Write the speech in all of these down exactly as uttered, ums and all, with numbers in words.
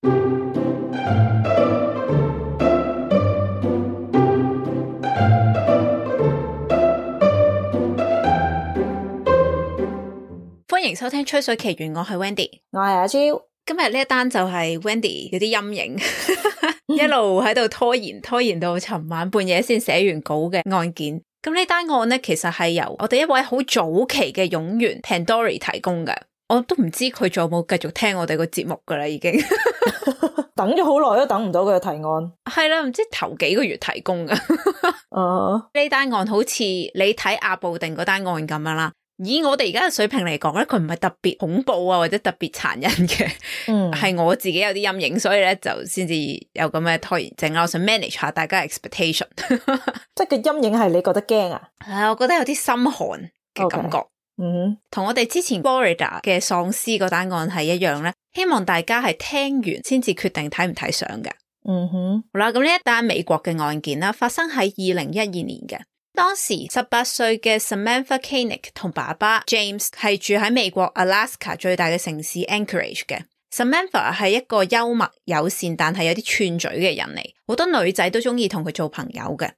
歡迎收聽吹水奇緣，我係 Wendy， 我係阿 Jo。今日呢一單就係 Wendy 有啲陰影，一路喺度拖延，拖延到尋晚半夜先寫完稿嘅案件。咁呢單案呢，其實係由我哋一位好早期嘅冗員 Pandori 提供嘅，我都唔知佢仲有冇繼續聽我哋個節目噶啦，已經等咗好耐都等唔到佢嘅提案。係啦，唔知頭幾個月提供噶。呢uh, 單案好似你睇阿布定嗰單案咁樣啦。以我哋而家嘅水平嚟講咧，佢唔係特別恐怖啊，或者特別殘忍嘅，嗯，係我自己有啲陰影，所以咧就先至有咁嘅拖延症啦。我想 manage 下大家嘅 expectation， 即係個陰影係你覺得驚啊？係，我覺得有啲心寒嘅感覺。嗯，同我哋之前 Florida 嘅喪屍嗰單案係一樣咧，希望大家係聽完先至決定睇唔睇相嘅。嗯哼，好啦，咁呢一單美國嘅案件啦，發生喺二零一二年嘅。當時十八歲嘅 Samantha Koenig 同爸爸 James 係住喺美國 Alaska 最大嘅城市 Anchorage 嘅。Samantha 係一個幽默友善但係有啲串嘴嘅人嚟，好多女仔都中意同佢做朋友嘅。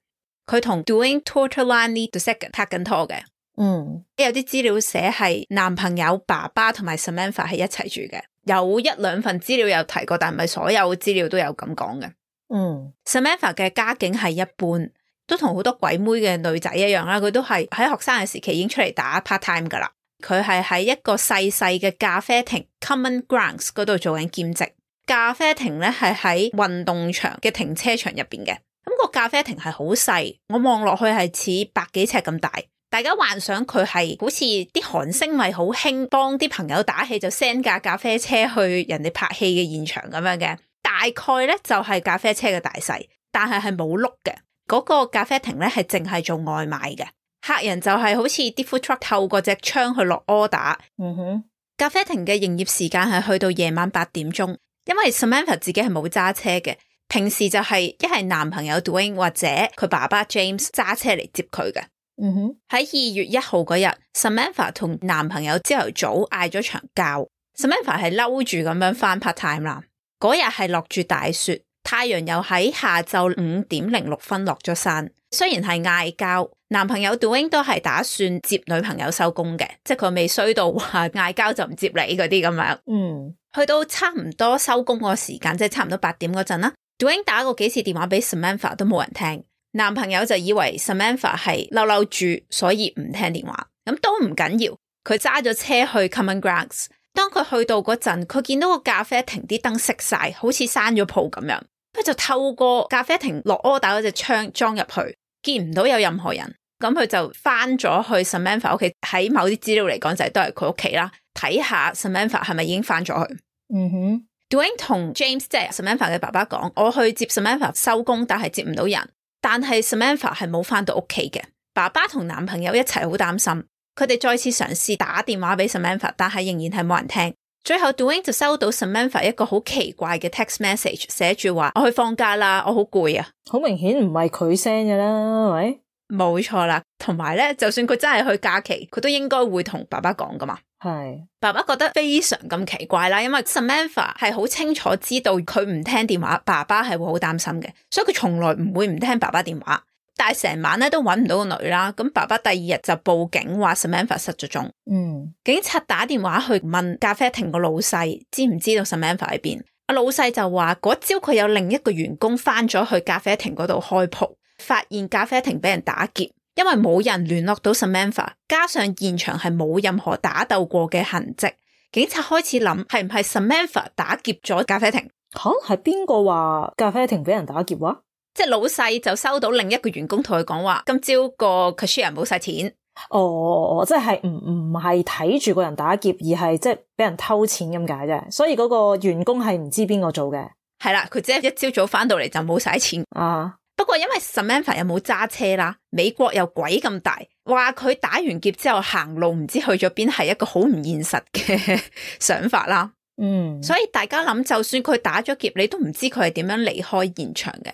佢同 Duane Tortolani the Second 拍緊拖嘅。嗯，有啲資料寫係男朋友爸爸同埋 Samantha 係一齊住嘅，有一兩份資料有提過，但唔係所有資料都有咁講嘅。嗯 Samantha 嘅家境係一般，都同好多鬼妹嘅女仔一樣啦，佢都係喺學生嘅時期已經出嚟打 part time 噶啦。佢係喺一個細細嘅咖啡亭 Common Grounds 嗰度做緊兼職。咖啡亭咧係喺運動場嘅停車場入邊嘅。咁個咖啡亭係好細，我望落去係似百幾尺咁大。大家幻想佢係好似啲韓星咪好興幫啲朋友打氣，就 send 架咖啡車去人哋拍戲嘅現場咁樣嘅。大概咧就係咖啡車嘅大細，但係係冇轆嘅。嗰個咖啡亭咧係淨係做外賣嘅，客人就係好似啲 food truck 透過隻窗去落 order。嗯哼，咖啡亭嘅營業時間係去到夜晚八點鐘，因為 Samantha 自己係冇揸車嘅，平時就係一係男朋友 Duane 或者佢爸爸 James 揸車嚟接佢嘅。嗯哼，喺二月一號嗰日 Samantha 同男朋友朝頭早嗌咗場交。Samantha 係嬲住咁樣返 part time 啦。嗰日係落住大雪，太陽又喺下晝五點零六分落咗山。雖然係嗌交，男朋友 Duane 都係打算接女朋友收工嘅，即係佢未衰到話嗌交就唔接你嗰啲咁樣。嗯，去到差唔多收工個時間，即係差唔多八點嗰陣啦。Duane 打過幾次電話俾 Samantha 都冇人聽。男朋友就以為 Samantha 係嬲嬲住，所以唔聽電話。咁都唔緊要，佢揸咗車去 Common Grounds。當佢去到嗰陣，佢見到個咖啡亭啲燈熄晒，好似閂咗鋪咁樣。佢就透過咖啡亭落 order 嗰隻窗裝入去，見唔到有任何人。咁佢就翻咗去 Samantha 屋企，喺某啲資料嚟講就係都係佢屋企啦。睇下 Samantha 係咪已經翻咗去。嗯哼 Duane 同 James 即係 Samantha 嘅爸爸講，我去接 Samantha 收工，但係接唔到人。但係 Samantha 係冇翻到屋企嘅，爸爸同男朋友一齊好擔心，佢哋再次嘗試打電話俾 Samantha， 但係仍然係冇人聽。最後 Duane 就收到 Samantha 一個好奇怪嘅 text message， 寫住話我去放假啦，我好攰啊。好明顯唔係佢 send 嘅啦，係咪？冇錯啦，同埋咧，就算佢真係去假期，佢都應該會同爸爸講噶嘛。係，爸爸覺得非常咁奇怪啦，因為 Samantha 係好清楚知道佢唔聽電話，爸爸係會好擔心嘅，所以佢從來唔會唔聽爸爸電話。但係成晚咧都揾唔到個女啦，咁爸爸第二日就報警話 Samantha 失咗蹤。嗯，警察打電話去問咖啡亭個老細知唔知道 Samantha 喺邊，阿老細就話嗰朝佢有另一個員工翻咗去咖啡亭嗰度開鋪，發現咖啡亭俾人打劫。因為冇人聯絡到 Samantha， 加上現場係冇任何打鬥過嘅痕跡，警察開始諗係唔係 Samantha 打劫咗咖啡亭。吓，係邊個話咖啡亭俾人打劫話？即係老細就收到另一個員工同佢講話，今朝個 cashier 冇晒錢。哦，即係唔唔係睇住個人打劫，而係即係俾人偷錢咁解啫。所以嗰個員工係唔知邊個做嘅。係啦，佢只係一朝早翻到嚟就冇晒錢啊。不過因為 Samantha 又冇揸車啦，美國又鬼咁大，話佢打完劫之後行路唔知去咗邊，係一個好唔現實嘅想法啦。嗯，所以大家諗，就算佢打咗劫，你都唔知佢係點樣離開現場嘅。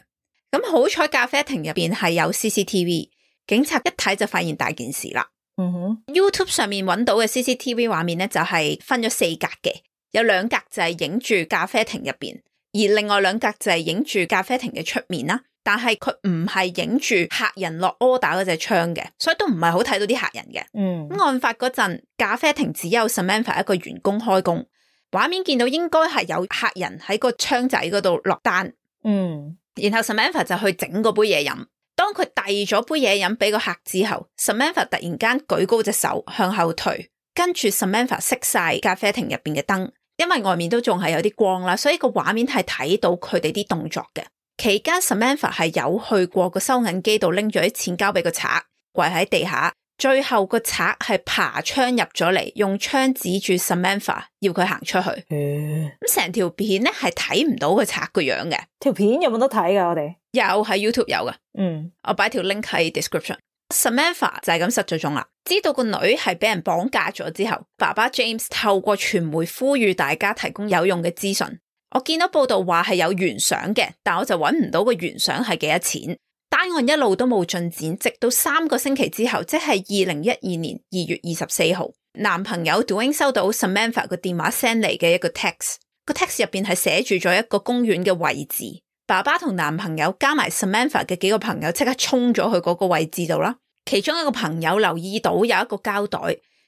咁好彩咖啡亭入邊係有 C C T V， 警察一睇就發現大件事啦。嗯哼 YouTube 上面揾到嘅 C C T V 畫面咧就係分咗四格嘅，有兩格就係影住咖啡亭入邊，而另外兩格就係影住咖啡亭嘅出面啦，但係佢唔係影住客人落 order 嗰隻窗嘅，所以都唔係好睇到啲客人嘅。嗯，案發嗰陣咖啡亭只有 Samantha 一個員工開工，畫面見到應該係有客人喺個窗仔嗰度落單。嗯，然後 Samantha 就去整嗰杯嘢飲，當佢遞咗杯嘢飲俾個客之後， Samantha 突然間舉高隻手向後退，跟住 Samantha 熄晒咖啡亭入邊嘅燈，因為外面都仲係有啲光啦，所以個畫面係睇到佢哋啲動作嘅。期間 Samantha 係有去過個收銀機度拎咗啲錢交俾個賊，跪喺地下，最後個賊係爬窗入咗嚟，用槍指住 Samantha 要佢行出去。咁成條片咧係睇唔到個賊個樣嘅。條片有冇得睇噶？我哋有，喺 YouTube 有噶。嗯，我擺條 link 喺 description。Samantha 就係咁失咗蹤啦。知道個女係俾人綁架咗之後，爸爸 James 透過傳媒呼籲大家提供有用嘅資訊。我見到報道話係有懸賞嘅，但我就揾唔到個懸賞係幾多錢。單案一路都冇進展，直到三個星期之後，即係二零一二年二月二十四號，男朋友 Dwayne 收到 Samantha 個電話 send 嚟嘅一個 text， 個 text 入邊係寫住咗一個公園嘅位置。爸爸同男朋友加埋 Samantha 嘅幾個朋友即刻衝咗去嗰個位置度啦。其中一個朋友留意到有一個膠袋，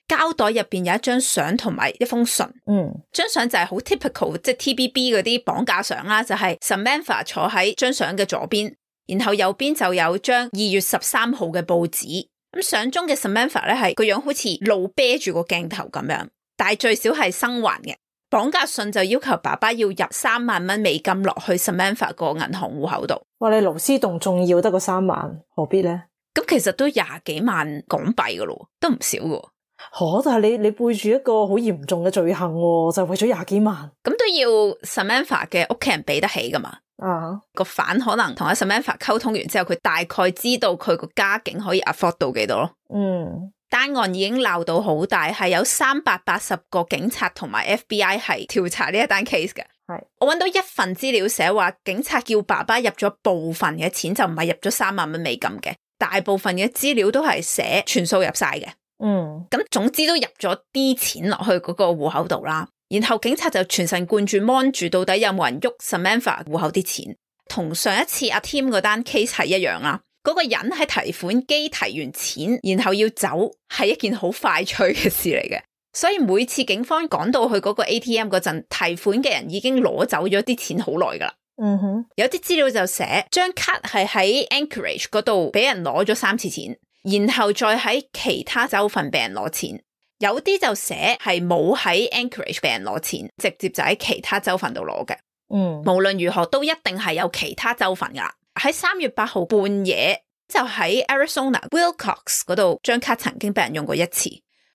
膠袋入邊有一張相同埋一封信。嗯，張相就係好 typical， 即係 T B B 嗰啲綁架相啦，就係 Samantha 坐喺張相嘅左邊，然後右邊就有張二月十三號嘅報紙。咁相中嘅 Samantha 咧係個樣好似露啤住個鏡頭咁樣，但係最少係生還嘅。綁架信就要求爸爸要入三萬蚊美金落去 Samantha 個銀行戶口度。哇，你勞師動眾要得個三萬，何必咧？咁其實都廿幾萬港幣噶咯，都唔少噶。吓、哦，但係你你背住一個好嚴重嘅罪行，就為咗廿幾萬，咁都要 Samantha 嘅屋企人俾得起噶嘛？啊，個犯可能同阿 Samantha 溝通完之後，佢大概知道佢個家境可以 afford 到幾多咯。嗯，單案已經鬧到好大，係有三百八十個警察同埋 F B I 係調查呢一單 case 嘅。係，我揾到一份資料寫話，警察叫爸爸入咗部分嘅錢，就唔係入咗三萬蚊美金嘅。大部分嘅資料都係寫全數入晒嘅。嗯，咁總之都入咗啲錢落去嗰個戶口度啦。然後警察就全神貫注 mon 住到底有冇人喐 Samantha 戶口啲錢，同上一次阿 Tim 嗰單 case 係一樣啦。嗰、那個人喺提款機提完錢，然後要走，係一件好快脆嘅事嚟嘅。所以每次警方趕到去嗰個 A T M 嗰陣，提款嘅人已經攞走咗啲錢好耐噶啦。嗯哼，有啲資料就寫張卡係喺 Anchorage 嗰度俾人攞咗三次錢，然後再喺其他州份俾人攞錢。有啲就寫係冇喺 Anchorage 俾人攞錢，直接就喺其他州份度攞嘅。嗯，無論如何都一定係有其他州份噶。喺三月八號半夜就喺 Arizona Willcox 嗰度，張卡曾經俾人用過一次。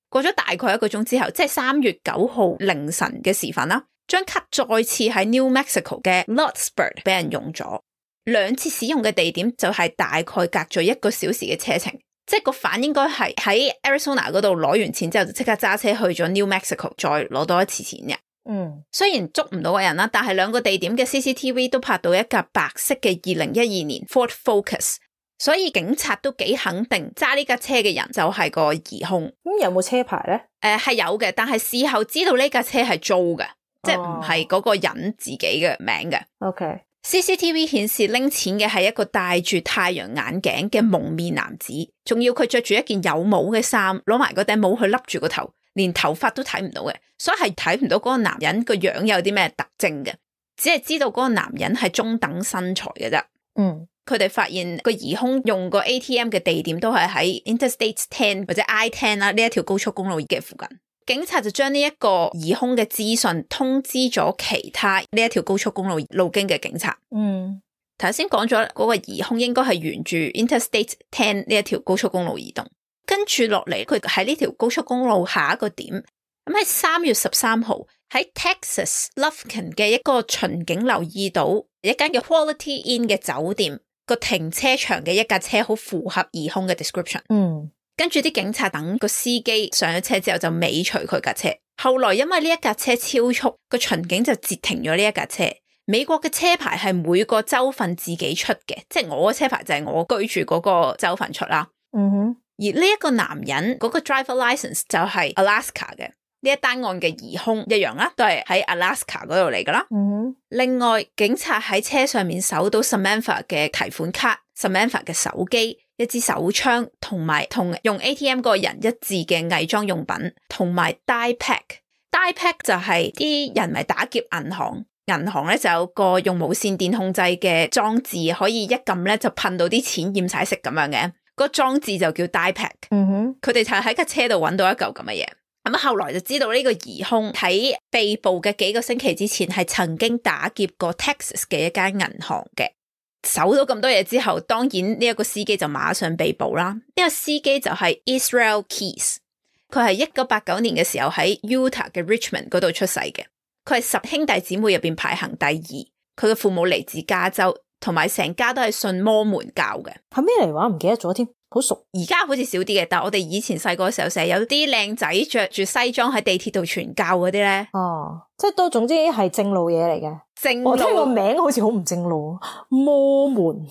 過咗大概一個鐘之後，即係三月九號凌晨嘅時分啦，張卡再次喺 New Mexico 嘅 Lordsburg 俾人用咗。兩次使用嘅地點就係大概隔咗一個小時嘅車程，即係個犯應該係喺 Arizona 嗰度攞完錢之後就即刻揸車去咗 New Mexico 再攞多一次錢嘅。嗯，雖然捉唔到個人啦，但係兩個地點嘅 C C T V 都拍到一架白色嘅二零一二年 Ford Focus， 所以警察都幾肯定揸呢架車嘅人就係個疑兇。咁、嗯、有冇車牌咧？誒、呃，係有嘅，但係事後知道呢架車係租嘅，哦、即係唔係嗰個人自己嘅名嘅。OK。C C T V 顯示拎錢嘅係一個戴住太陽眼鏡嘅蒙面男子，仲要佢着住一件有帽嘅衫，攞埋嗰頂帽去笠住個頭，連頭髮都睇唔到嘅，所以係睇唔到嗰個男人個樣有啲咩特徵嘅，只係知道嗰個男人係中等身材嘅啫。嗯，佢哋發現個疑兇用個 A T M 嘅地點都係喺 Interstate 十或者 I 十啦，呢一條高速公路嘅附近。警察就將呢一個疑兇嘅資訊通知咗其他呢一條高速公路路經嘅警察。嗯，頭先講咗嗰個疑兇應該係沿住 Interstate 十呢一條高速公路移動，跟住落嚟佢喺呢條高速公路下一個點，咁喺三月十三號喺 Texas Lufkin 嘅一個巡警留意到一間嘅 Quality Inn 嘅酒店個停車場嘅一架車好符合疑兇嘅 description。嗯。跟住啲警察等個司機上咗車之後就尾隨佢架車，後來因為呢一架車超速，個巡警就截停咗呢一架車。美國嘅車牌係每個州份自己出嘅，即係我嘅車牌就係我居住嗰個州份出啦。嗯哼，而呢一個男人嗰個 driver license 就係 Alaska 嘅，呢一單案嘅疑兇一樣啦，都係喺 Alaska 嗰度嚟噶啦。嗯，另外，警察喺車上面搜到 Samantha 嘅提款卡、Samantha 嘅手機、一支手槍，同埋同用 A T M 嗰個人一致嘅偽裝用品，同埋 die pack。die pack 就係啲人咪打劫銀行，銀行咧就有個用無線電控制嘅裝置，可以一撳咧就噴到啲錢驗晒色咁樣嘅，個裝置就叫 die pack。嗯哼，佢哋就喺架車度揾到一嚿咁嘅嘢。咁後來就知道呢個疑兇喺被捕嘅幾個星期之前係曾經打劫過 Texas 嘅一間銀行嘅。搜到咁多嘢之後，當然呢一個司機就馬上被捕啦。呢、這個司機就係 Israel Keys， 佢係一九八九年嘅時候喺 Utah 嘅 Richmond 嗰度出世嘅。佢係十兄弟姊妹入邊排行第二。佢嘅父母嚟自加州，同埋成家都係信摩門教嘅。係咩嚟話？唔記得咗添。好熟，而家好似少啲嘅，但係我哋以前細個嘅時候，成日有啲靚仔着住西裝喺地鐵度傳教嗰啲咧。哦，即係都總之係正路嘢嚟嘅。正路，我聽個名好似好唔正路，摩門。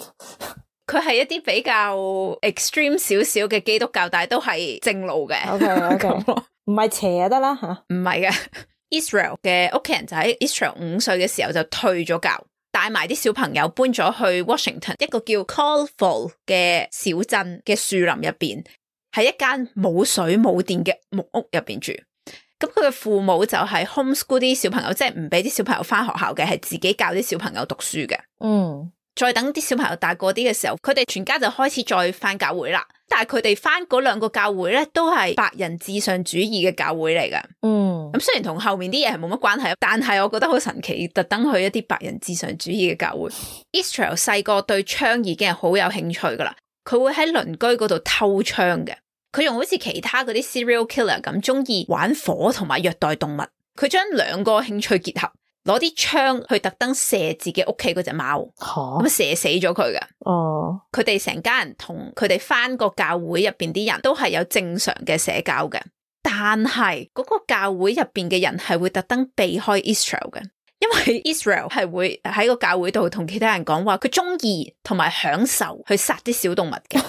佢係一啲比較 extreme 少少嘅基督教，但係都係正路嘅。OK OK， 唔係邪就得啦吓。唔係嘅 ，Israel 嘅屋企人就喺 Israel 五歲嘅時候就退咗教。帶埋啲小朋友搬咗去 Washington 一個叫 Colville 嘅小鎮嘅樹林入邊，喺一間冇水冇電嘅木屋入邊住。咁佢嘅父母就係 homeschool 啲小朋友，即係唔俾啲小朋友翻學校嘅，係自己教啲小朋友讀書嘅。嗯，再等啲小朋友大個啲嘅時候，佢哋全家就開始再翻教會啦。但係佢哋翻嗰兩個教會咧，都係白人至上主義嘅教會嚟噶。嗯，咁雖然同後面啲嘢係冇乜關係，但係我覺得好神奇，特登去一啲白人至上主義嘅教會。Israel 細個對槍已經係好有興趣噶啦，佢會喺鄰居嗰度偷槍嘅。佢用好似其他嗰啲 serial killer 咁，中意玩火同埋虐待動物。佢將兩個興趣結合，攞啲槍去特登射自己屋企嗰隻貓，咁射死咗佢嘅。哦，佢哋成家人同佢哋翻個教會入邊啲人都係有正常嘅社交嘅，但係嗰個教會入邊嘅人係會特登避開 Israel 嘅，因為 Israel 係會喺個教會度同其他人講話，佢中意同埋享受去殺啲小動物嘅。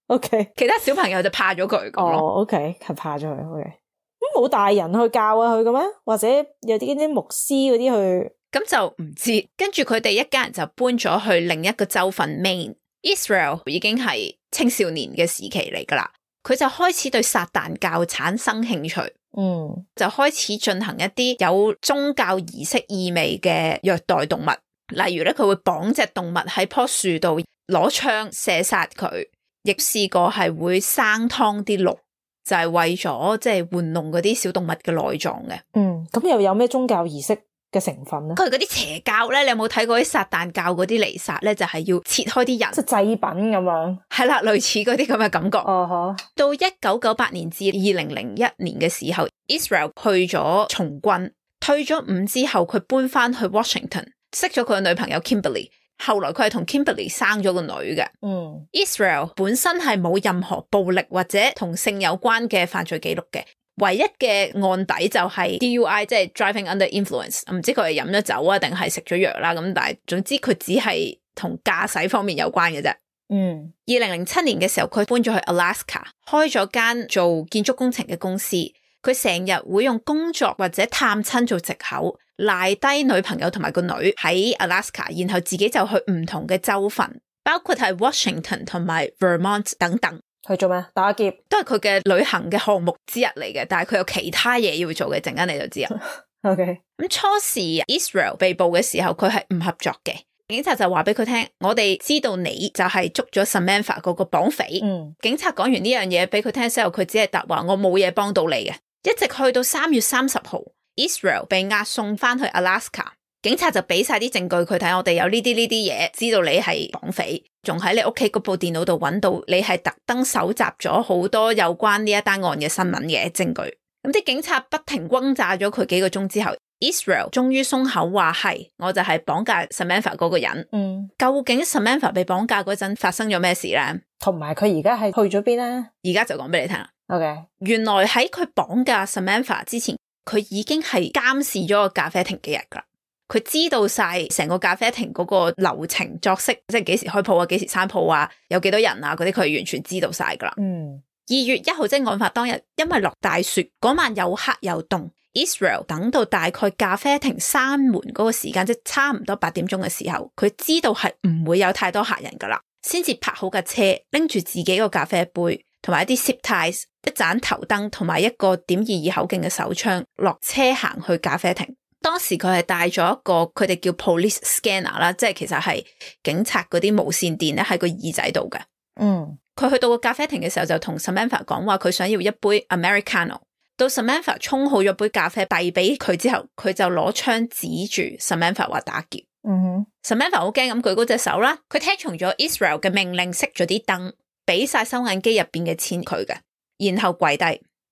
OK， 其他小朋友就怕咗佢咁咯。哦 OK， 係怕咗佢。OK， 咁冇大人去教啊佢嘅咩？或者有啲啲牧師嗰啲去？咁就唔知。跟住佢哋一家人就搬咗去另一個州份 Maine。Israel 已經係青少年嘅時期嚟噶啦，佢就開始對撒旦教產生興趣。嗯，就開始進行一啲有宗教儀式意味嘅虐待動物，例如咧佢會綁隻動物喺棵樹度，攞槍射殺佢。亦試過係會生劏啲鹿，就係、是、為咗即係玩弄嗰啲小動物嘅內臟嘅。嗯，咁又有咩宗教儀式嘅成分咧？佢嗰啲邪教咧，你有冇睇過啲撒旦教嗰啲彌撒咧？就係、是、要切開啲人，即係祭品咁樣。係啦，類似嗰啲咁嘅感覺。哦、uh-huh. 到一九九八年至二零零一年嘅時候 ，Israel 去咗從軍，退咗伍之後，佢搬翻去 Washington， 識咗佢嘅女朋友 Kimberly。後來佢係同 Kimberly 生咗個女嘅。嗯 Israel 本身係冇任何暴力或者同性有關嘅犯罪記錄嘅，唯一嘅案底就係 D U I， 即係 driving under influence。唔知佢係飲咗酒啊，定係食咗藥啦。咁但係總之佢只係同駕駛方面有關嘅啫。嗯，二零零七年嘅時候，佢搬咗去 Alaska， 開咗間做建築工程嘅公司。佢成日會用工作或者探親做藉口，賴低女朋友同埋個女喺 Alaska， 然後自己就去唔同嘅州份，包括係 Washington 同埋 Vermont 等等。去做咩？打劫都係佢嘅旅行嘅項目之一嚟嘅，但係佢有其他嘢要做嘅，陣間你就知啊。OK， 咁初時 Israel 被捕嘅時候，佢係唔合作嘅。警察就話俾佢聽，我哋知道你就係捉咗 Samantha 嗰個綁匪。嗯，警察講完呢樣嘢俾佢聽嘅時候，佢只係答話我冇嘢幫到你嘅。一直去到三月三十號 Israel 被押送翻去 Alaska， 警察就俾晒啲證據佢睇，我哋有呢啲呢啲嘢，知道你係綁匪，仲喺你屋企嗰部電腦度揾到你係特登搜集咗好多有關呢一單案嘅新聞嘅證據。咁啲警察不停轟炸咗佢幾個鐘之後， Israel 終於鬆口話係，我就係綁架 Samantha 嗰個人。嗯，究竟 Samantha 被綁架嗰陣發生咗咩事呢？同埋佢而家係去咗邊呢？而家就講俾你聽啦。Okay. 原來喺佢綁架 Samantha 之前，佢已經係監視咗個咖啡廳幾日噶啦。佢知道晒成個咖啡廳嗰個流程作息，即係幾時開鋪啊，幾時閂鋪啊，有幾多人啊，嗰啲佢係完全知道晒噶啦。嗯，二月一號即係案發當日，因為落大雪，嗰晚又黑又凍。Israel 等到大概咖啡亭閂門嗰個時間，即係差唔多八點鐘嘅時候，佢知道係唔會有太多客人噶啦，先至泊好架車，拎住自己個咖啡杯，同埋一啲 zip ties、一盞頭燈，同埋一個點二二口徑嘅手槍，落車行去咖啡亭。當時佢係帶咗一個佢哋叫 police scanner 啦，即係其實係警察嗰啲無線電咧喺個耳仔度嘅。嗯。佢去到個咖啡亭嘅時候就同 Samantha 講話佢想要一杯 Americano， 到 Samantha 沖好咗杯咖啡遞俾佢之後，佢就攞槍指住 Samantha 話打劫。嗯哼 Samantha 好驚咁舉高隻手啦，佢聽從咗 Israel 嘅命令，熄咗啲燈，俾晒收銀機入邊嘅錢佢嘅，然後跪低，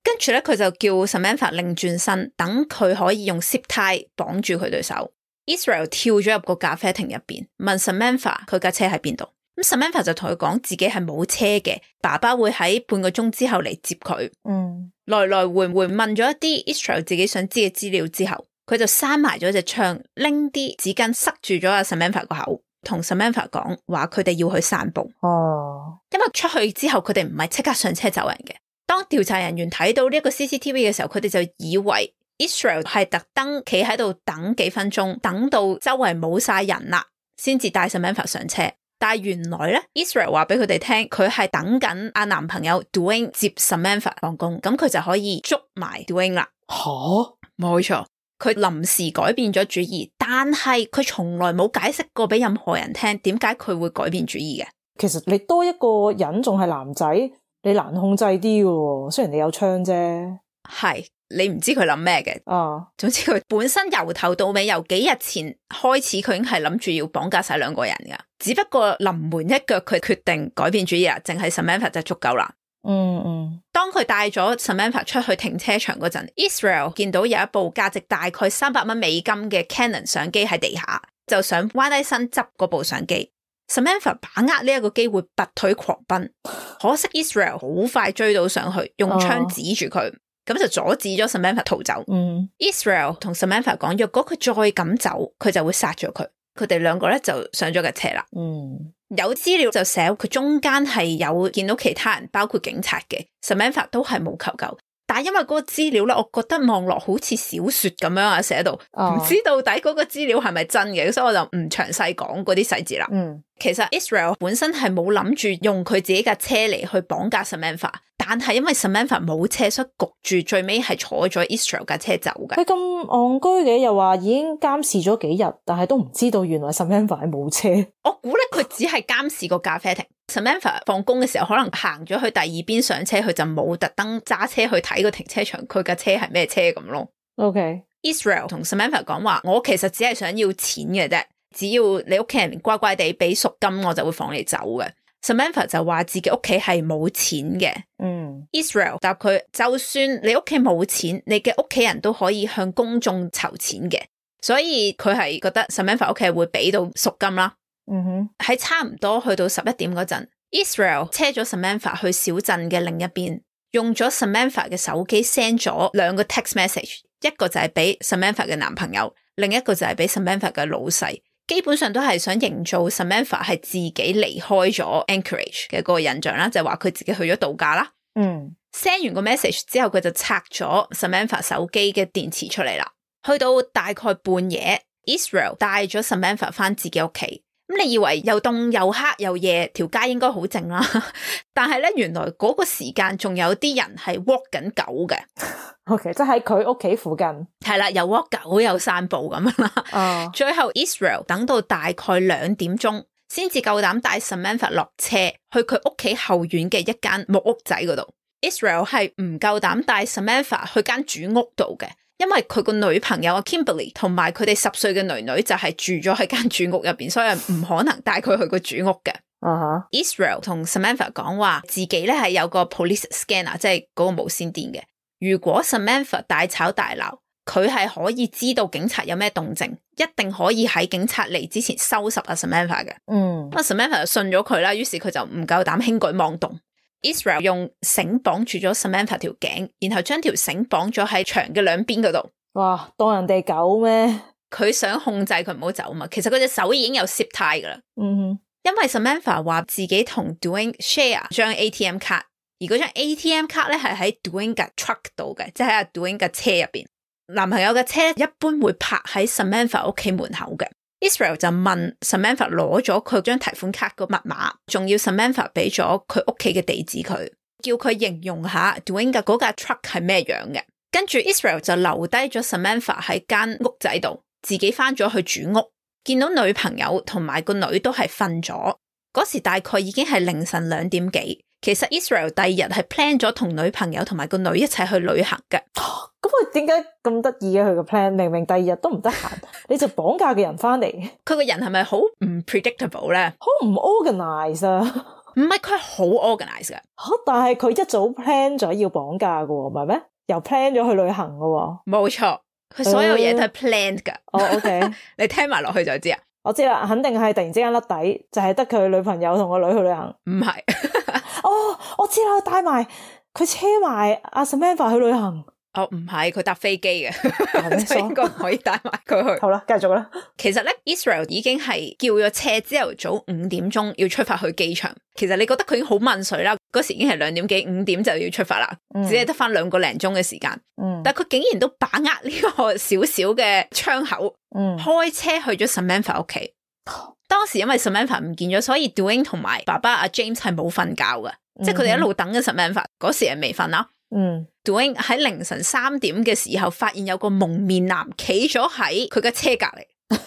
跟住咧佢就叫 Samantha 擰轉身，等佢可以用 zip tie 綁住佢對手。Israel 跳咗入個咖啡亭入邊，問 Samantha 佢架車喺邊度。咁 Samantha 就同佢講自己係冇車嘅，爸爸會喺半個鐘之後嚟接佢。嗯，來來回回問咗一啲 Israel 自己想知嘅資料之後，佢就閂埋咗隻窗，拎啲紙巾塞住咗阿 Samantha 個口，同 Samantha 講話佢哋要去散步。哦，因為出去之後佢哋唔係即刻上車走人嘅。當調查人員睇到呢一個 C C T V 嘅時候，佢哋就以為 Israel 係特登企喺度等幾分鐘，等到周圍冇晒人啦，先至帶 Samantha 上車。但係原來咧 Israel 話俾佢哋聽，佢係等緊阿男朋友 Dwayne 接 Samantha 放工，咁佢就可以捉埋 Dwayne 啦。吓，冇錯，佢臨時改變咗主意，但係佢從來冇解釋過俾任何人聽點解佢會改變主意嘅。其實你多一個人仲係男仔，你難控制啲嘅，雖然你有槍啫。係。你唔知佢諗咩嘅，哦，總之佢本身由頭到尾，由幾日前開始，佢已經係諗住要綁架晒兩個人噶，只不過臨門一腳，佢決定改變主意啦，淨係 Samantha 就足夠啦。嗯嗯。當佢帶咗 Samantha 出去停車場嗰陣 ，Israel 見到有一部價值大概三百蚊美金嘅 Canon 相機喺地下，就想彎低身執嗰部相機。Samantha 把握呢一個機會拔腿狂奔，可惜 Israel 好快追到上去，用槍指住佢。哦，咁就阻止咗 Samantha 逃走。嗯 Israel 同 Samantha 講，若果佢再咁走，佢就會殺咗佢。佢哋兩個咧就上咗架車啦。嗯，有資料就寫佢中間係有見到其他人，包括警察嘅。Samantha 都係冇求救。但係因為嗰個資料咧，我覺得望落好似小說咁樣啊，寫到唔知到底嗰個資料係咪真嘅，所以我就唔詳細講嗰啲細節啦。嗯，其實 Israel 本身係冇諗住用佢自己架車嚟去綁架 Samantha， 但係因為 Samantha 冇車，所以焗住最尾係坐咗 Israel 架車走嘅。佢咁戇居嘅，又話已經監視咗幾日，但係都唔知道原來 Samantha 係冇車。我估咧佢只係監視個咖啡亭。Samantha 放工嘅時候可能行咗去第二邊上車，佢就冇特登揸車去睇個停車場佢架車係咩車咁咯。OK， Israel 同 Samantha 講話，我其實只係想要錢嘅啫，只要你屋企人乖乖地俾贖金，我就會放你走嘅。Samantha 就話自己屋企係冇錢嘅。嗯 Israel 答佢，就算你屋企冇錢，你嘅屋企人都可以向公眾籌錢嘅，所以佢係覺得 Samantha 屋企會俾到贖金啦。嗯哼，喺差唔多去到十一點嗰陣 Israel 車咗 Samantha 去小鎮嘅另一邊，用咗 Samantha 嘅手機 send 咗兩個 text message， 一個就係俾 Samantha 嘅男朋友，另一個就係俾 Samantha 嘅老細，基本上都係想營造 Samantha 係自己離開咗 Anchorage 嘅嗰個印象啦，就係話佢自己去咗度假啦。嗯 ，send 完個 message 之後，佢就拆咗 Samantha 手機嘅電池出嚟啦。去到大概半夜 Israel 帶咗 Samantha 翻自己屋企。咁你以為又凍又黑又夜，條街應該好靜啦，但係咧原來嗰個時間仲有啲人係 walk 緊狗嘅。OK， 即係喺佢屋企附近。係啦，又 walk 狗又散步咁樣啦。哦。最後 Israel 等到大概兩點鐘，先至夠膽帶 Samantha 落車去佢屋企後院嘅一間木屋仔嗰度。Israel 係唔夠膽帶 Samantha 去間主屋度嘅。因為佢個女朋友阿 Kimberly 同埋佢哋十歲嘅女女就係住咗喺間主屋入邊，所以唔可能帶佢去個主屋嘅。Uh-huh. Israel 同 Samantha 講話自己咧係有個 police scanner， 即係嗰個無線電嘅。如果 Samantha 大吵大鬧，佢係可以知道警察有咩動靜，一定可以喺警察嚟之前收拾阿 Samantha 嘅。嗯，咁 Samantha 就信咗佢啦，於是佢就唔夠膽輕舉妄動。Israel 用繩綁住咗 Samantha 條頸，然後將條繩綁咗喺牆嘅兩邊嗰度。哇，當人哋狗咩？佢想控制佢唔好走嘛，其實佢隻手已經有 zip tie 噶啦。嗯哼，因為 Samantha 話自己同 Dwayne share 張 A T M 卡，而嗰張 A T M 卡咧係喺 Dwayne 嘅 truck 度嘅，即係喺 Dwayne 嘅車入邊。男朋友嘅車一般會泊喺 Samantha 屋企門口嘅。Israel 就問 Samantha 攞咗佢張提款卡個密碼，仲要 Samantha 俾咗佢屋企嘅地址佢，叫佢形容下 Dwayne 嘅嗰架 truck 係咩樣嘅。跟住 Israel 就留低咗 Samantha 喺間屋仔度，自己翻咗去主屋，見到女朋友同埋個女都係瞓咗。嗰時大概已經係凌晨兩點幾。其實 Israel 第二日係 plan 咗同女朋友同埋個女一齊去旅行嘅。咁佢點解咁得意嘅？佢個 plan 明明第二日都唔得閒，你就綁架個人翻嚟。佢個人係咪好唔 predictable 咧？好唔 organize 啊？唔係，佢好 organize 嘅。但係佢一早 plan 咗要綁架嘅，唔係咩？又 plan 咗去旅行嘅。冇錯，佢所有嘢都係 planned 噶。哦、uh, ，OK， 你聽埋落去就知啊。我知啦，肯定係突然之間甩底，就係得佢女朋友同個女去旅行。唔係，哦，我知啦，帶埋佢車埋阿 Samantha 去旅行。哦，唔係，佢搭飛機嘅，就應該可以帶埋佢去。好啦，繼續啦。其實咧 ，Israel 已經係叫咗車，朝頭早五點鐘要出發去機場。其實你覺得佢已經好問水啦，嗰時已經係兩點幾，五點就要出發啦，嗯、只係得翻兩個零鐘嘅時間。嗯，但係佢竟然都把握呢個小小嘅窗口，嗯，開車去咗 Samantha 屋企。當時因為 Samantha 唔見咗，所以 Dwayne 同埋爸爸阿 James 係冇瞓覺嘅，嗯、即係佢哋一路等緊 Samantha，嗰時係未瞓啦。嗯 Dwayne 喺凌晨三點嘅時候發現有個蒙面男企咗喺佢嘅車隔籬。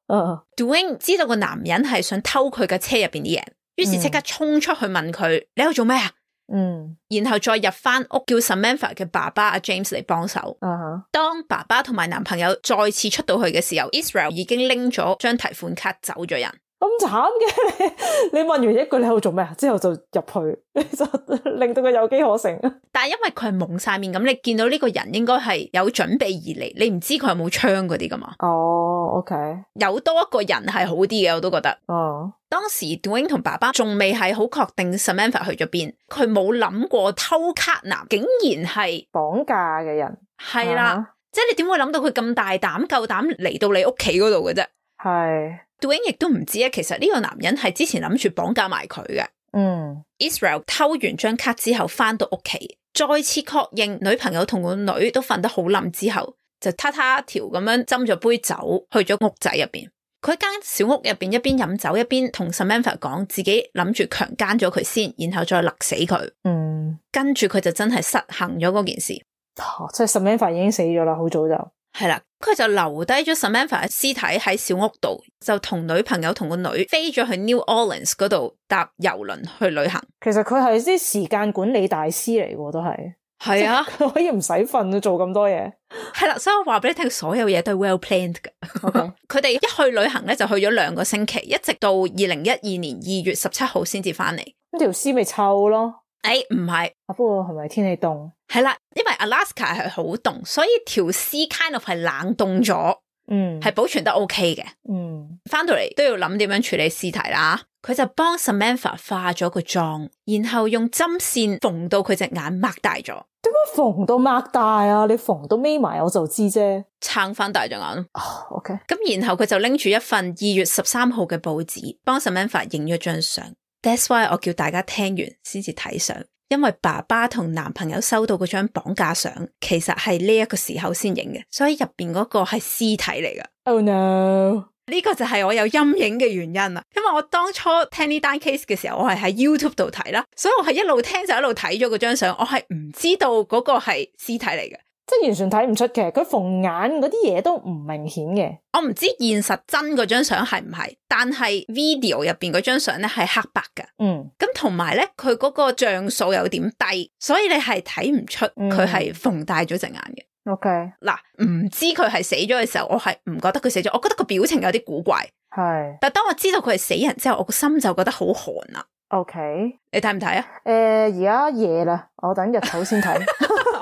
uh. Dwayne 知道個男人係想偷佢嘅車入邊啲嘢，於是即刻衝出去問佢、嗯、你喺度做咩啊？嗯，然後再入翻屋叫 Samantha 嘅爸爸阿 James 嚟幫手。Uh-huh. 當爸爸同埋男朋友再次出到去嘅時候 Israel 已經拎咗張提款卡走咗人。咁慘嘅，你問完一句你喺度做咩啊？之後就入去，就令到佢有機可乘。但係因為佢係蒙晒面，咁你見到呢個人應該係有準備而嚟，你唔知佢有冇槍嗰啲噶嘛？哦、oh, OK， 有多一個人係好啲嘅，我都覺得。哦、oh. 當時 Dwayne 同爸爸仲未係好確定 Samantha 去咗邊，佢冇諗過偷卡男竟然係綁架嘅人。係啦， uh-huh. 即係你點會諗到佢咁大膽夠膽嚟到你屋企嗰度嘅啫？係。Dwayne 亦都唔知咧，其實呢個男人係之前諗住綁架埋佢嘅。嗯 ，Israel 偷完張卡之後翻到屋企，再次確認女朋友同個女都瞓得好冧之後，就嗒嗒條咁樣斟咗杯酒去咗屋仔入邊。佢間小屋入邊一邊飲酒一邊同 Samantha 講自己諗住強姦咗佢先，然後再勒死佢。嗯，跟住佢就真係實行咗嗰件事。哦，即係 Samantha 已經死咗啦，好早就。係啦，佢就留低咗 Samantha 嘅屍體喺小屋度，就同女朋友同個女飛咗去 New Orleans 嗰度搭郵輪去旅行。其實佢係啲時間管理大師嚟嘅，都係。係啊，佢可以唔使瞓做咁多嘢。係啦，所以我話俾你聽，所有嘢都係 well planned 嘅。佢哋、okay. 一去旅行咧，就去咗兩個星期，一直到二零一二年二月十七號先至翻嚟。咁條屍咪臭咯。誒，唔係，啊，不過係咪天氣凍？係啦，因為 Alaska 係好凍，所以條屍 kind of 係冷凍咗，嗯，係保存得 OK 嘅，嗯，翻到嚟都要諗點樣處理屍體啦。佢就幫 Samantha 化咗個妝，然後用針線縫到佢隻眼擘大咗。點解縫到擘大啊？你縫到眯埋我就知啫，撐翻大隻眼。哦、oh, ，OK。咁然後佢就拎住一份二月十三號嘅報紙，幫 Samantha 影咗張相。That's why 我叫大家聽完先至睇相，因為爸爸同男朋友收到嗰張綁架相，其實係呢一個時候先影嘅，所以入邊嗰個係屍體嚟㗎。Oh no！ 呢個就係我有陰影嘅原因啦，因為我當初聽呢單 case 嘅時候，我係喺 YouTube 度睇啦，所以我係一路聽就一路睇咗嗰張相，我係唔知道嗰個係屍體嚟嘅。即係完全睇唔出嘅，佢縫眼嗰啲嘢都唔明顯嘅。我唔知現實真嗰張相係唔係，但係 video 入邊嗰張相咧係黑白㗎。嗯，咁同埋咧，佢嗰個像素有點低，所以你係睇唔出佢係縫大咗隻眼嘅。OK，嗱，唔知佢係死咗嘅時候，我係唔覺得佢死咗，我覺得個表情有啲古怪。係，但係當我知道佢係死人之後，我個心就覺得好寒啦。OK，你睇唔睇啊？誒、呃，而家夜啦，我等日頭先睇。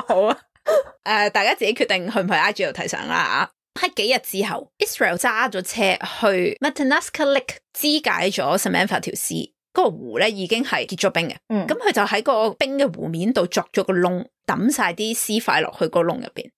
好啊。誒、uh, 大家自己決定去唔去 I G 度睇相啦。喺幾日之後 Israel 揸咗車去 Matanuska Lake 肢解咗 Samantha 條屍。嗰嗰個湖咧已經係結咗冰嘅，嗯，咁佢就喺個冰嘅湖面度鑿咗個窿，抌晒啲屍塊落去個窿入邊。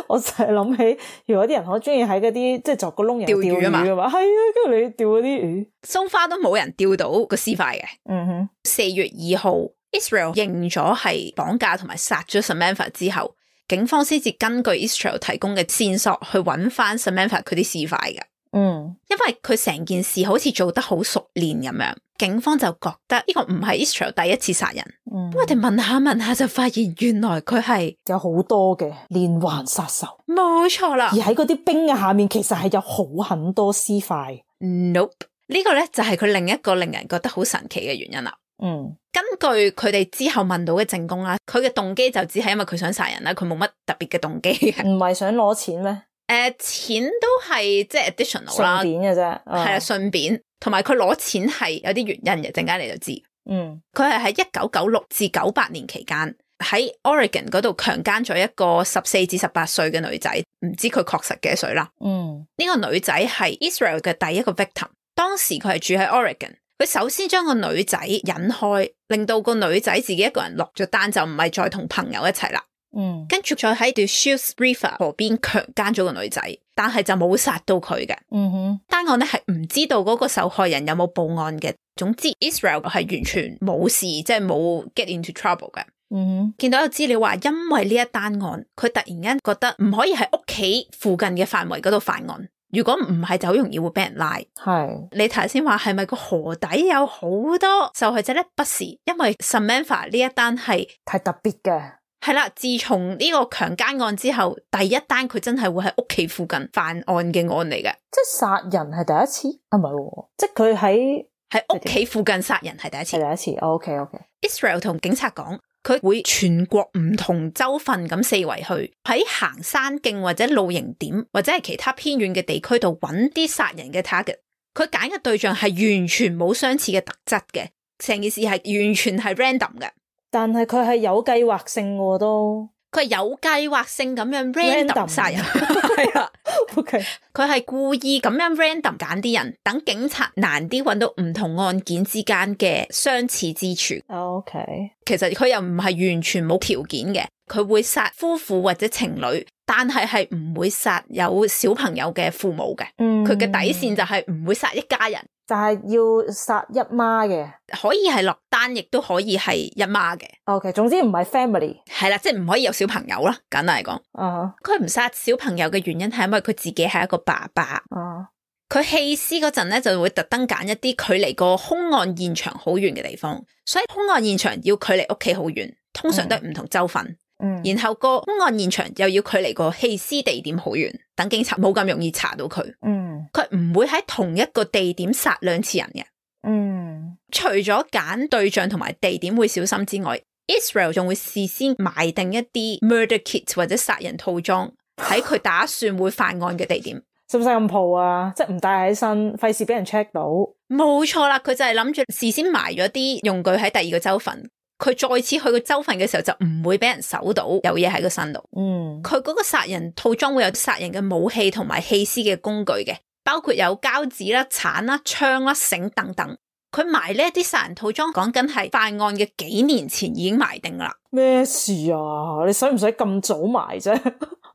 我就係諗起，如果啲人好中意喺嗰啲即係鑿個窿釣魚啊嘛，係啊，跟住你釣嗰啲魚，so far都冇人釣到個屍塊嘅。嗯哼，四月二號 Israel 認咗係綁架同埋殺咗 Samantha 之後，警方先至根據 Israel 提供嘅線索去揾翻 Samantha 佢啲屍塊嘅。嗯，因為佢成件事好似做得好熟練咁樣，警方就覺得呢個唔係 Israel 第一次殺人。嗯，我哋問下問下就發現原來佢係有好多嘅連環殺手。冇錯啦，而喺嗰啲冰嘅下面其實係有好很多屍塊。Nope， 呢個咧就係佢另一個令人覺得好神奇嘅原因啦。嗯，根據佢哋之後問到嘅證供啦，佢嘅動機就只係因為佢想殺人啦，佢冇乜特別嘅動機嘅。唔係想攞錢咩？誒、呃，錢都係即係 additional 啦，順便嘅啫，係啦，順便，同埋佢攞錢係有啲原因嘅，陣間你就知。嗯，佢係喺一九九六至九八年期間喺 Oregon 嗰度強姦咗一個十四至十八歲嘅女仔，唔知佢確實幾多歲啦。嗯，呢、這個女仔係 Israel 嘅第一個 victim，當時佢係住喺 Oregon，佢首先將個女仔引開，令到個女仔自己一個人落咗單，就唔係再同朋友一齊啦。嗯，跟住再喺 Deschutes River 河邊強姦咗個女仔，但係就冇殺到佢嘅。嗯哼，單案咧係唔知道嗰個受害人有冇報案嘅。總之 Israel 係完全冇事，即係冇 get into trouble 嘅。嗯哼，見到有資料話，因為呢一單案，佢突然間覺得唔可以喺屋企附近嘅範圍嗰度犯案。如果唔係，就好容易會俾人拉。係你頭先話係咪個河底有好多受害者咧？不是，因為 Samantha 呢一單係太特別嘅。係啦，自從呢個強姦案之後，第一單佢真係會喺屋企附近犯案嘅案嚟嘅。即係殺人係第一次？啊，唔係，即係佢喺喺屋企附近殺人係第一次。係第一次。哦，OK OK。Israel 同警察講，佢會全國唔同州份咁四圍去，喺行山徑或者露營點或者係其他偏遠嘅地區度揾啲殺人嘅 target。佢揀嘅對象係完全冇相似嘅特質嘅，成件事係完全係 random 嘅。但係佢係有計劃性嘅都，佢係有計劃性咁樣 random 殺人，係啊，OK，佢係故意咁樣 random 揀啲人，等警察難啲揾到唔同案件之間嘅相似之處。OK，其實佢又唔係完全冇條件嘅，佢會殺夫婦或者情侶，但係係唔會殺有小朋友嘅父母嘅。嗯，佢嘅底線就係唔會殺一家人。但係要殺一媽嘅，可以係落單，亦都可以係一媽嘅。OK，總之唔係 family，係啦，即係唔可以有小朋友啦。簡單嚟講，啊，佢唔殺小朋友嘅原因係因為佢自己係一個爸爸。啊，佢棄屍嗰陣咧，就會特登揀一啲距離個兇案現場好遠嘅地方，所以兇案現場要距離屋企好遠，通常都係唔同州份。嗯，然後個兇案現場又要距離個棄屍地點好遠，等警察冇咁容易查到佢。嗯，佢唔會喺同一個地點殺兩次人嘅。嗯，除咗揀對象同埋地點會小心之外，Israel 仲會事先買定一啲 murder kit 或者殺人套裝喺佢打算會犯案嘅地點。使唔使咁抱啊？即係唔帶喺身，費事俾人 check 到。冇錯啦，佢就係諗住事先埋咗啲用具喺第二個州份。佢再次去個州份嘅時候就唔會俾人搜到有嘢喺個身度。嗯，佢嗰個殺人套裝會有殺人嘅武器同埋棄屍嘅工具嘅，包括有膠紙啦、鏟啦、槍啦、繩等等。佢埋呢一啲殺人套裝，講緊係犯案嘅幾年前已經埋定啦。咩事啊？你使唔使咁早埋啫？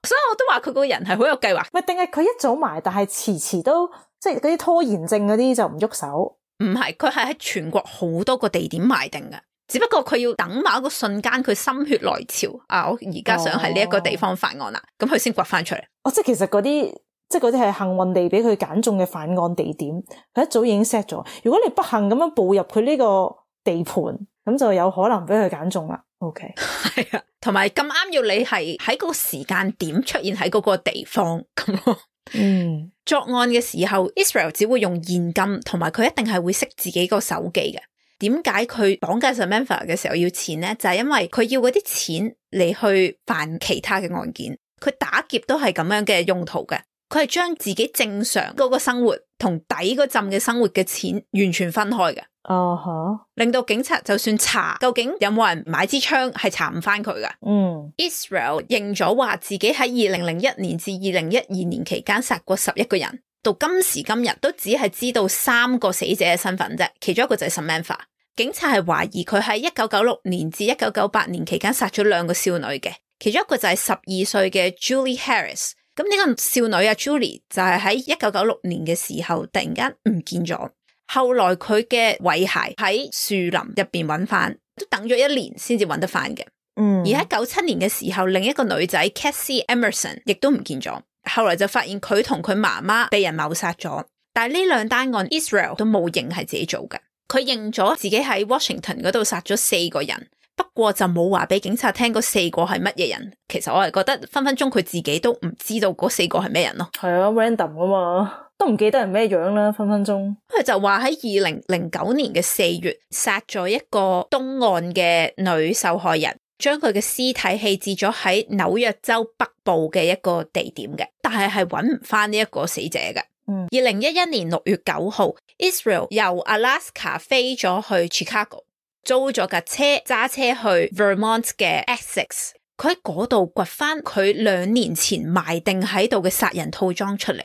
所以我都話佢個人係好有計劃。咪定係佢一早埋，但係遲遲都即係嗰啲拖延症嗰啲就唔喐手。唔係，佢係喺全國好多個地點埋定嘅。只不過佢要等某一個瞬間，佢心血來潮啊！我而家想喺呢一個地方犯案啦，咁佢先掘翻出嚟。哦，即係其實嗰啲，即係嗰啲係幸運地俾佢揀中嘅犯案地點，佢一早已經 set 咗。如果你不幸咁樣步入佢呢個地盤，咁就有可能俾佢揀中啦。OK，係啊，同埋咁啱要你係喺嗰個時間點出現喺嗰個地方咁咯。嗯，作案嘅時候 ，Israel 只會用現金，同埋佢一定係會熄自己個手機嘅。點解佢綁架 Samantha 嘅時候要錢呢？就係、是、因為佢要嗰啲錢嚟去辦其他嘅案件。佢打劫都係咁樣嘅用途嘅。佢係將自己正常嗰個生活同底嗰陣嘅生活嘅錢完全分開嘅。哦、uh-huh. 令到警察就算查究竟有冇人買支槍，係查唔翻佢噶。嗯、mm. Israel 認咗話自己喺二零零一年至二零一二年期間殺過十一個人。到今時今日都只係知道三個死者嘅身份啫，其中一個就係 Samantha。警察係懷疑佢喺一九九六年至一九九八年期間殺咗兩個少女嘅，其中一個就係十二歲嘅 Julie Harris。咁呢個少女啊 Julie 就係喺一九九六年嘅時候突然間唔見咗，後來佢嘅遺骸喺樹林入邊揾翻，都等咗一年先至揾得翻嘅。嗯，而喺九七年嘅時候，另一個女仔 Cassie Emerson 亦都唔見咗，後來就發現佢同佢媽媽被人謀殺咗，但係呢兩單案 Israel 都冇認係自己做嘅。佢認咗自己喺 Washington 嗰度殺咗四個人，不過就冇話俾警察聽嗰四個係乜嘢人。其實我係覺得分分鐘佢自己都唔知道嗰四個係咩人咯。係啊 random 啊嘛，都唔記得人咩樣啦，分分鐘。佢就話喺二零零九年嘅四月殺咗一個東岸嘅女受害人，將佢嘅屍體棄置咗喺紐約州北部嘅一個地點嘅，但係係揾唔翻呢一個死者嘅。二零一一年六月九號 Israel 由 Alaska 飛咗去 Chicago， 租咗架車揸車去 Vermont 嘅 Essex， 佢喺嗰度掘翻佢兩年前埋定喺度嘅殺人套裝出嚟，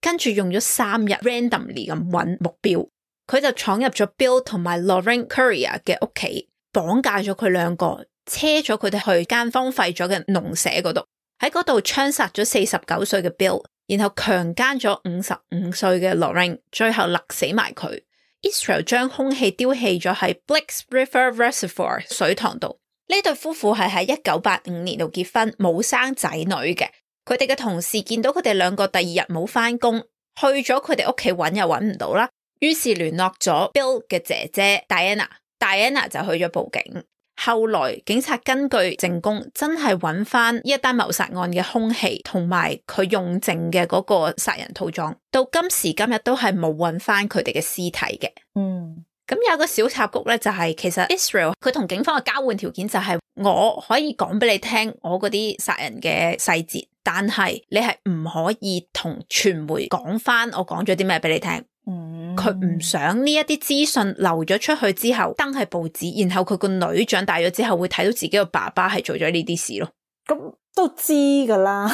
跟住用咗三日 randomly 咁揾目標，佢就闖入咗 Bill 同埋 Lorraine Currier 嘅屋企，綁架咗佢兩個，車咗佢哋去間荒廢咗嘅農舍嗰度，喺嗰度槍殺咗四十九歲嘅 Bill，然後強姦咗五十五歲嘅 Lorraine， 最後勒死埋佢。Israel 將兇器丟棄咗喺 Blix River Reservoir 水塘度。呢對夫婦係喺一九八五年度結婚，冇生仔女嘅。佢哋嘅同事見到佢哋兩個第二日冇返工，去咗佢哋屋企揾又揾唔到啦，於是聯絡咗 Bill 嘅姐姐 Diana，Diana 就去咗報警。後來警察根據證供真係揾翻呢一單謀殺案嘅兇器同埋佢用剩嘅嗰個殺人套裝，到今時今日都係冇揾翻佢哋嘅屍體嘅。嗯，咁有個小插曲咧，就係、是、其實 Israel 佢同警方嘅交換條件就係我可以講俾你聽我嗰啲殺人嘅細節，但係你係唔可以同傳媒講翻我講咗啲咩俾你聽。嗯，佢唔想呢一啲資訊流咗出去之後登喺報紙，然後佢個女長大咗之後會睇到自己個爸爸係做咗呢啲事咯。咁都知噶啦，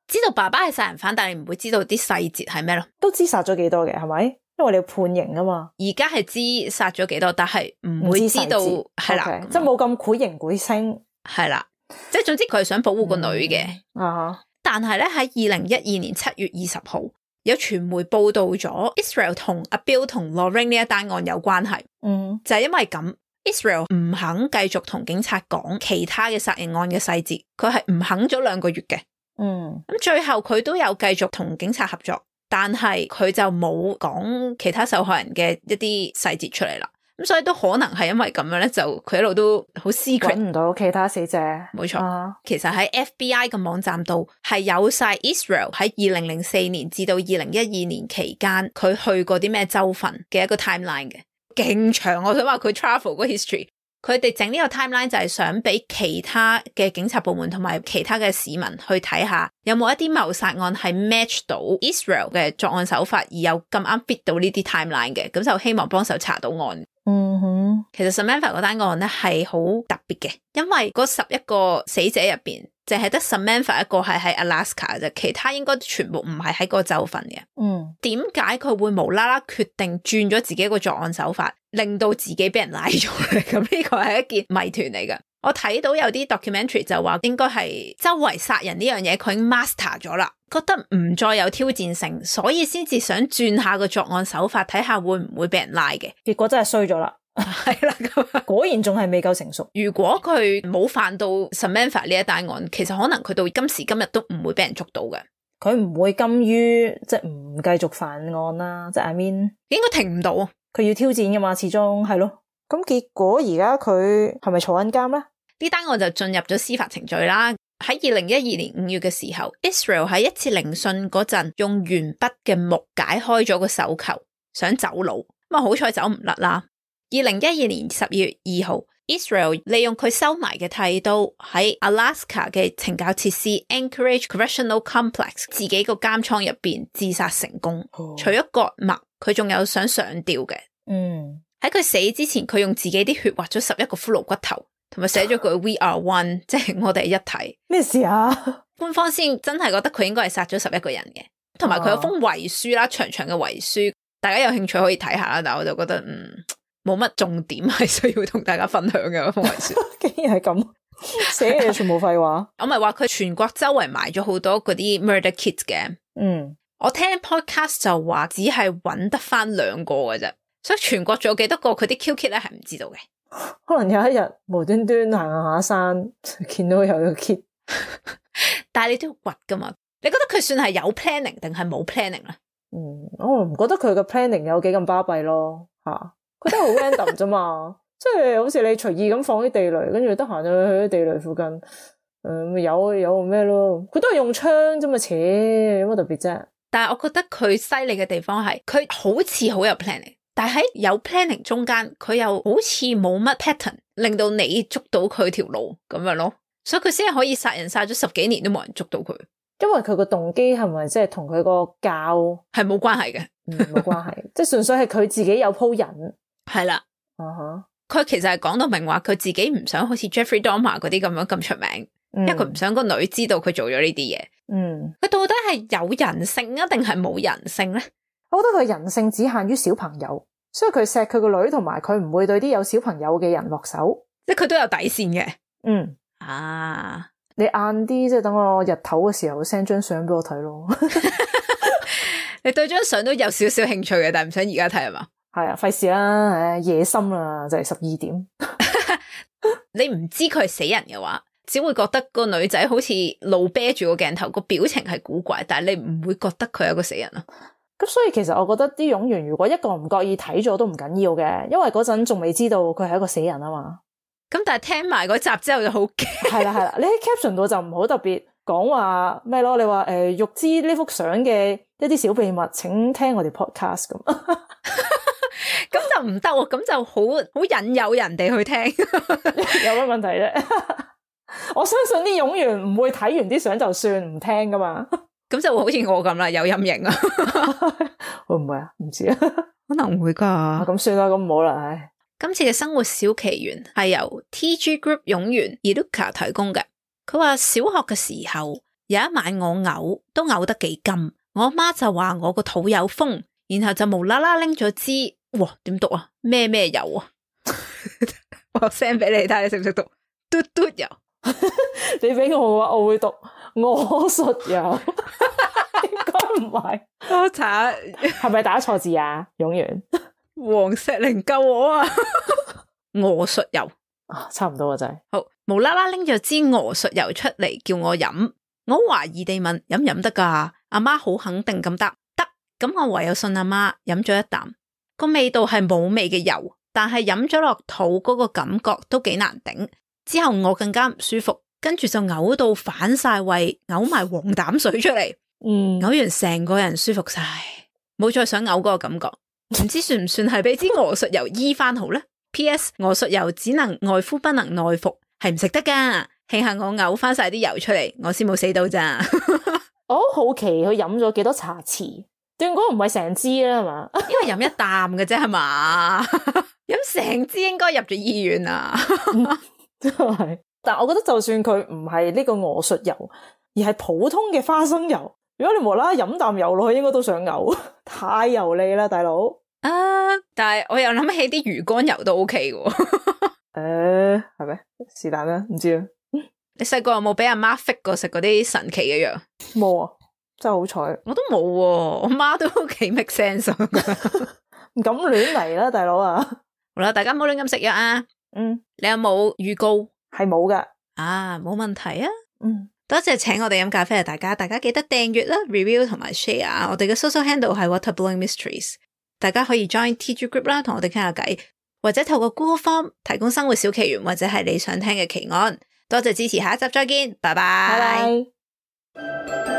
知道爸爸係殺人犯，但係你唔會知道啲細節係咩咯？都知殺咗幾多嘅係咪？因為你要判刑啊嘛。而家係知殺咗幾多，但係唔會知道係啦， okay，即係冇咁繪形繪聲。係啦，即係總之佢係想保護個女嘅。嗯啊、但係咧喺二零一二年七月二十號。有傳媒報道咗 Israel 同阿 Bill 同 Lorraine 呢一單案有關係，嗯，就係因為咁 Israel 唔肯繼續同警察講其他嘅殺人案嘅細節，佢係唔肯咗兩個月嘅，嗯，咁最後佢都有繼續同警察合作，但係佢就冇講其他受害人嘅一啲細節出嚟啦。咁所以都可能係因為咁樣咧，就佢一路都好 secret， 搵唔到其他死者。冇錯，啊、其實喺 F B I 嘅網站度係有晒 Israel 喺二零零四年至到二零一二年期間佢去過啲咩州份嘅一個 timeline 嘅，勁長。我想話佢 travel 個 history， 佢哋整呢個 timeline 就係想俾其他嘅警察部門同埋其他嘅市民去睇下有冇一啲謀殺案係 match 到 Israel 嘅作案手法，而又咁啱 fit 到呢啲 timeline 嘅，咁就希望幫手查到案。嗯哼，其實 Samantha 嗰單案咧係好特別嘅，因為嗰十一個死者入邊，淨係得 Samantha 一個係喺 Alaska 啫，其他應該全部唔係喺嗰個州份嘅。嗯，點解佢會無啦啦決定轉咗自己個作案手法，令到自己俾人拉咗咧？咁呢個係一件謎團嚟噶。我睇到有啲 documentary 就話應該係周圍殺人呢樣嘢佢已經 master 咗啦，覺得唔再有挑戰性，所以先至想轉下個作案手法，睇下會唔會俾人拉嘅。結果真係衰咗啦，係啦，咁果然仲係未夠成熟。如果佢冇犯到 Samantha 呢一單案，其實可能佢到今時今日都唔會俾人捉到嘅。佢唔會甘於即係唔繼續犯案啦，即係 I mean 應該停唔到，佢要挑戰噶嘛，始終係咯。咁結果而家佢係咪坐緊監咧？呢單案就進入咗司法程序啦。喺二零一二年五月嘅時候 Israel 喺一次聆訊嗰陣用鉛筆嘅木解開咗個手球，想走佬，咁啊好彩走唔甩啦。二零一二年十二月二號 Israel 利用佢收埋嘅剃刀喺 Alaska 嘅懲教設施 Anchorage Correctional Complex 自己個監倉入邊自殺成功。哦、除咗割脈，佢仲有想上吊嘅。嗯，喺佢死之前，佢用自己啲血畫咗十一個骷髏骨頭，同埋寫咗句 We are one， 即係我哋一體。咩事啊？官方先真係覺得佢應該係殺咗十一個人嘅。同埋佢有封遺書啦，長長嘅遺書，大家有興趣可以睇下啦。但係我就覺得嗯冇乜重點係需要同大家分享嘅封遺書。竟然係咁寫嘅全部廢話。我咪話佢全國周圍埋咗好多嗰啲 murder kits 嘅。嗯，我聽 podcast 就話只係揾得翻兩個嘅啫，所以全國仲有幾多個佢啲 kill kit 咧係唔知道嘅。可能有一日無端端行下山見到有個 kit，但係你都要掘噶嘛？你覺得佢算係有 planning 定係冇 planning 咧？嗯，我唔覺得佢嘅 planning 有幾咁巴閉咯，吓，佢都係好 random 啫嘛，即係好似你隨意咁放啲地雷，跟住得閒就去啲地雷附近，誒、嗯，有有咩咯？佢都係用槍啫嘛，扯有乜特別啫？但係我覺得佢犀利嘅地方係，佢好似好有 planning。但係喺有 planning 中間，佢又好似冇乜 pattern，令到你捉到佢條路咁樣咯，所以佢先係可以殺人殺咗十幾年都冇人捉到佢。因為佢個動機係咪即係同佢個教係冇關係嘅？嗯，冇關係，即係純粹係佢自己有鋪癮。係啦，啊哈，佢其實係講到明話，佢自己唔想好似 Jeffrey Dahmer 嗰啲咁樣咁出名，嗯、因為佢唔想個女知道佢做咗呢啲嘢。嗯，佢到底係有人性啊，定係冇人性咧？我覺得佢人性只限於小朋友。所以佢錫佢個女，同埋佢唔會對啲有小朋友嘅人落手，即係佢都有底線嘅。嗯啊，你晏啲即係等我日頭嘅時候 send 張相俾我睇咯。你對張相都有少少興趣嘅，但係唔想而家睇係嘛？係啊，費事啦，唉，夜深啦，就係十二點。你唔知佢係死人嘅話，只會覺得個女仔好似露啤住個鏡頭，個表情係古怪，但係你唔會覺得佢係一個死人啊。咁所以其實我覺得啲冗員如果一個唔覺意睇咗都唔緊要嘅，因為嗰陣仲未知道佢係一個死人啊嘛。咁但係聽埋嗰集之後就好驚。係啦係啦，你喺 caption 度就唔好特別講話咩咯，你話誒欲知呢幅相嘅一啲小秘密，請聽我哋 podcast 咁。咁就唔得喎，咁就好好引誘人哋去聽。有乜問題啫？我相信啲冗員唔會睇完啲相就算唔聽噶嘛。咁就會好似我咁啦，有陰影啊。會唔會啊？唔知啊，可能會噶。咁算啦，咁唔好啦。唉，今次嘅生活小奇緣係由 T G Group 冗員 Iluka 提供嘅。佢話小學嘅時候有一晚我嘔都嘔得幾金，我阿媽就話我個肚有風，然後就無啦啦拎咗支，哇點讀啊？咩咩油啊？我 send 俾你睇下，你識唔識讀？嘟嘟油。你俾我嘅話，我會讀我術油。應該唔係，我查係咪打錯字啊？冗員黃石玲救我啊！我術油啊，差唔多啊，真係好無啦啦拎咗支我術油出嚟叫我飲，我懷疑地問飲唔飲得噶？阿媽好肯定咁答得，咁我唯有信阿媽飲咗一啖，個味道係冇味嘅油，但係飲咗落肚嗰個感覺都幾難頂。之後我更加唔舒服，跟住就嘔到反晒胃，嘔埋黃膽水出嚟。嗯，嘔完成個人舒服晒，冇再想嘔嗰個感覺。唔知算唔算係俾支鵝術油醫翻好咧 ？P S 鵝術油只能外敷不能內服，係唔食得噶。慶幸我嘔翻晒啲油出嚟，我先冇死到咋。我好好奇佢飲咗幾多茶匙？斷估唔係成支啦，係嘛？因為飲一啖嘅啫，係嘛？飲成支應該入咗醫院啊。真係，但係我覺得就算佢唔係呢個鵝術油，而係普通嘅花生油，如果你無啦啦飲啖油落去，應該都想嘔，太油膩啦，大佬。啊！但係我又諗起啲魚肝油都 OK 嘅。誒，係咩？是但啦，唔知啊。你細個有冇俾阿媽 fit 過食嗰啲神奇嘅藥？冇啊，真係好彩。我都冇，我媽都幾 make sense。唔敢亂嚟啦，大佬啊！好啦，大家唔好亂咁食藥啊。嗯，你有冇預告？係冇噶。啊，冇問題啊。嗯，多謝請我哋飲咖啡啊！大家，大家記得訂閱啦、review 同埋 share。我哋嘅 social handle 係 Water Blowing Mysteries。大家可以 join T G Group 啦，同我哋傾下偈，或者透過 Google Form 提供生活小奇緣，或者係你想聽嘅奇案。多謝支持，下一集再見，拜拜。拜拜。